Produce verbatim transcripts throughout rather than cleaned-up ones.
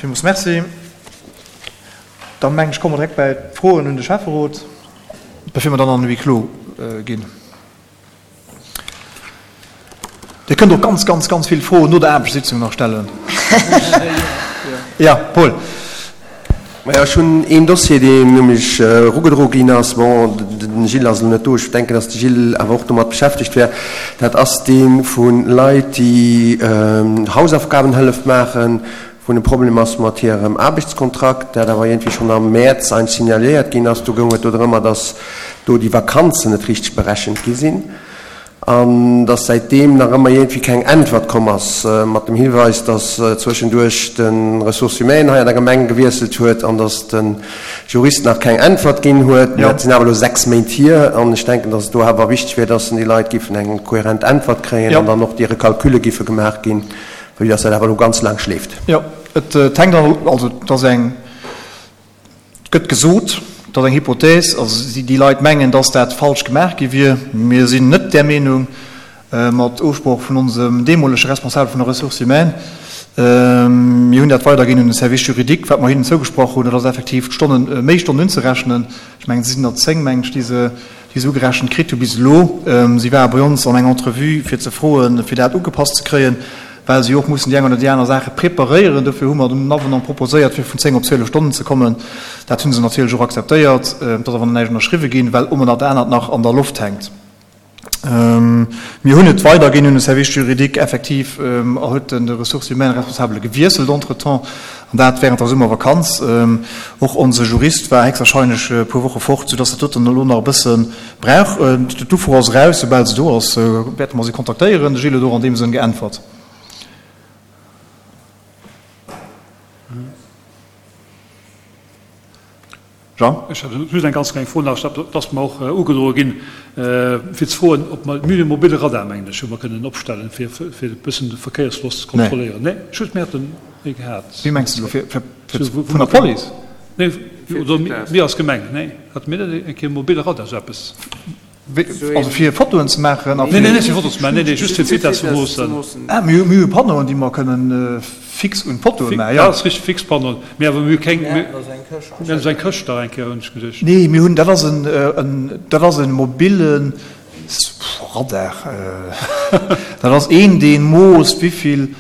Villmools Merci. Da mengen ech, komme mer direkt bäi d'Froen un de Schäfferot, bevir mer dann an de Huis clos ginn. Dir kënnt och ganz, ganz, ganz vill Froen no der Aarbechtssitzung nach stellen. Jo, Paul. Majo, ech hunn een Dossier, deen u mech erugedroe ginn ass. Bon, de Gilles ass elo net do. Ech denken, datt de Gilles awer och domat beschäftegt wär. Dat ass dee vu Leit, déi Hausaufgabenhëllef maachen, wou e Problem ass mat hirem Aarbechtskontrakt, dat awer iergendwéi schonn am Mäerz eins signaliéiert ginn ass. Do goung et do drëmmer, datt do déi Vakanzen net richteg berechent gi sinn. An dass säitdeem nach ëmmer iergendwéi keng Äntwert komm ass, mat dem Hiweis, dass zwëschenduerch de Ressources humaines hei an der Gemeng gewiesselt huet an dass de Jurist nach keng Äntwert ginn huet. Mä et sinn awer elo sechs Méint hier an ech denken, dass et do awer wichteg wier, dass déi Leit giffen eng kohärent Äntwert kréien an dann och déi Recalculle giffe gemaach ginn, vue dass dat awer elo ganz laang schleeft. Jo, et hänkt an, also et ass eng. Et gëtt gesot, dat ass eng Hypothèse, also déi Leit mengen, dass dat falsch gemaach gi wier. Mir sinn net där Meenung, mat Ofsprooch vun onsem deemolege Responsabel vun der Ressources humaines. Mir hunn dat weiderginn un de Service juridique, wat mer hinnen zougesprach hunn, dat ass effektiv d'Stonnen, méi Stonnen unzerechnen. Ech mengen, et sinn der zéng, mengen ech, déi se, déi se ugerechent kritt hu bis elo. Si ware bei ons an enger Entrevue, fir ze froen, fir dat ugepasst ze kréien, well se jo och mussen déi eng oder déi aner Saache preparéieren. Dofir hu mer den Avenant proposéiert, fir vun zéng op zwielef Stonnen ze kommen. Dat hu se natierlech och akzeptéiert. Et ass awer nach näischt ënnerschriwwe ginn, well ëmmer dat anert nach an der Loft hänkt. Mir hunn et weiderginn un de Service juridique. Effektiv huet de Ressources humaines Responsabele gewiesselt entretemps, an dat während der Summervakanz. Och onse Jurist war héchstwahrscheinlech e puer Woche fort, soudass dat doten elo nach e bësse brauch. D'Ufro ass eraus. Soubal se do ass, wäerte mer si kontaktéieren. De Gilles huet och an deem Sënn geäntwert. Jean? Ech hätt just eng ganz kleng Fro nach, et ass mer och ugedroe ginn, fir ze froen, ob mer mir hunn e mobile Radar, mengen ech, hu mer kënnen opstellen, fir fir e bëssen de Verkéiersfloss ze kontrolléieren. Nee, ech hunn, mir haten ee gehat. Wéi mengs de elo? Fir, fir, fir vun der Police? Nee, oder mir als Gemeng, nee, hate mir net eng Kéier e mobile Radar, esou eppes? Also fir Fotoen ze maachen a fir. Nee, nee, net fir Fotoen ze maachen, nee, nee, just fir d'Vitess ze moossen. Ah, mir hu Panneauen, déi mer kënnen fix un d'Potoe maachen, jo. Dat ass richteg, fix Panneauen. Mee awer mir hu keng. Mir haten esou eng Këscht dach eng Kéier, hunn ech geduecht. Nee, mir hunn, dat ass en, dat ass e mobille Radar. Dat ass een, dee moosst, wéivill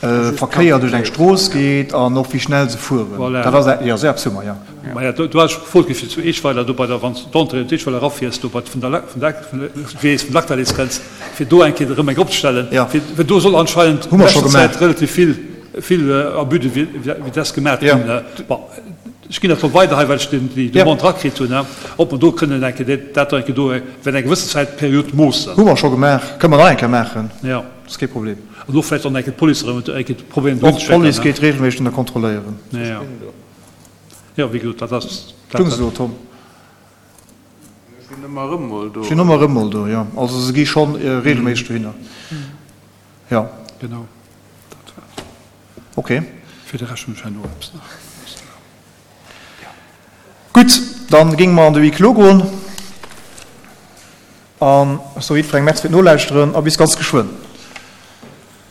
Verkéier duerch eng Strooss geet an och wéi schnell se fueren. Voilà. Dat ass, jo, esou eppes hu mer, jo. Maja, do, do hat ech gefrot gi fir zu Eeschweiler, do bei der, wann s du d'Entrée un d'Eeschweiler erafiers, do bei, vun der, vun der, vun der, weess, vum Lactalésgrenz, fir do eng Kéier erëm eng opzestellen. Ja. Fir, well do soll anscheinend Hu mer scho an leschter Zäit gemaach. relativ vill, vill Abus de vitesse gemaach Ja. ginn. Bon, ech ginn dat elo weider hei, well ech den, déi Ja. Demande erakritt hunn, ob mer do kënnen eng Kéier dat do eng Kéier do während enger gewëssen Zäitperiod moossen. Hu mer scho gemaach. Kënne mer nach eng Kéier maachen. Ja. Dat ass kee Problem. An och vläicht dann eng Kéier d'Police erëm eng Kéier probéieren Och dohinzeschécken. d'Police geet regelméisseg dohinner kontrolléieren. Ja, ja. Jo, wéi gesot, dat ass. Stung se do, Tom? Ech sinn ëmmer erëm mol do. Sinn ëmmer erëm mol do, jo. Also se gi schonn regelméisseg dohinner. Jo. Genau, dat war et. Ok. Fir de Rescht hunn ech herno eppes nach. Gutt, dann géinge mer an de Huis clos goen. An ech soe jiddwerengem Merci fir d'Nolauschteren a bis ganz geschwënn.